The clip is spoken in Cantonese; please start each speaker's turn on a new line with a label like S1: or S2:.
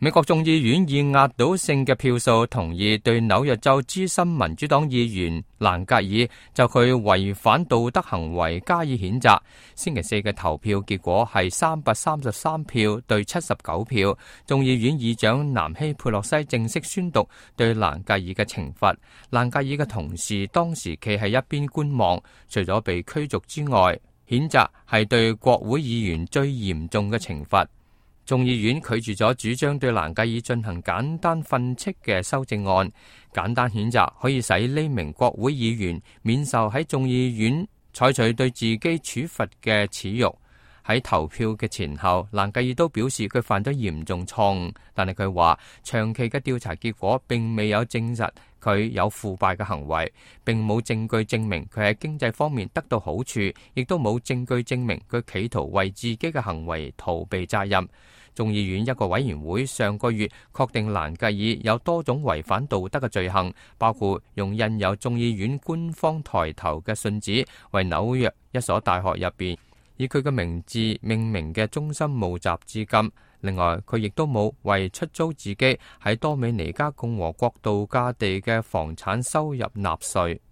S1: 美國眾議院以壓倒性嘅票數同意對紐約州資深民主黨議員蘭格爾就佢違反道德行為加以譴責。星期四嘅投票結果係333票對79票，眾議院議長南希佩洛西正式宣讀對蘭格爾嘅懲罰。蘭格爾嘅同事當時企喺一邊觀望，除咗被驅逐之外，譴責係對國會議員最嚴重嘅懲罰。眾議院拒絕咗主張對蘭格爾進行簡單訓斥嘅修正案。簡單譴責可以使呢名國會議員免受喺眾議院採取對自己處罰嘅恥辱。喺投票嘅前後，蘭格爾都表示佢犯咗嚴重錯誤，但係佢話長期嘅調查結果並未有證實佢有腐敗嘅行為，並冇證據證明佢喺經濟方面得到好處，亦都冇證據證明佢企圖為自己嘅行為逃避責任。眾議院一個委員會上個月確定蘭格爾有多種違反道德嘅罪行，包括用印有眾議院官方抬頭嘅信紙為紐約一所大學入邊以佢嘅名字命名嘅中心募集資金。另外，佢亦都冇為出租自己喺多美尼加共和國度假地嘅房產收入納稅。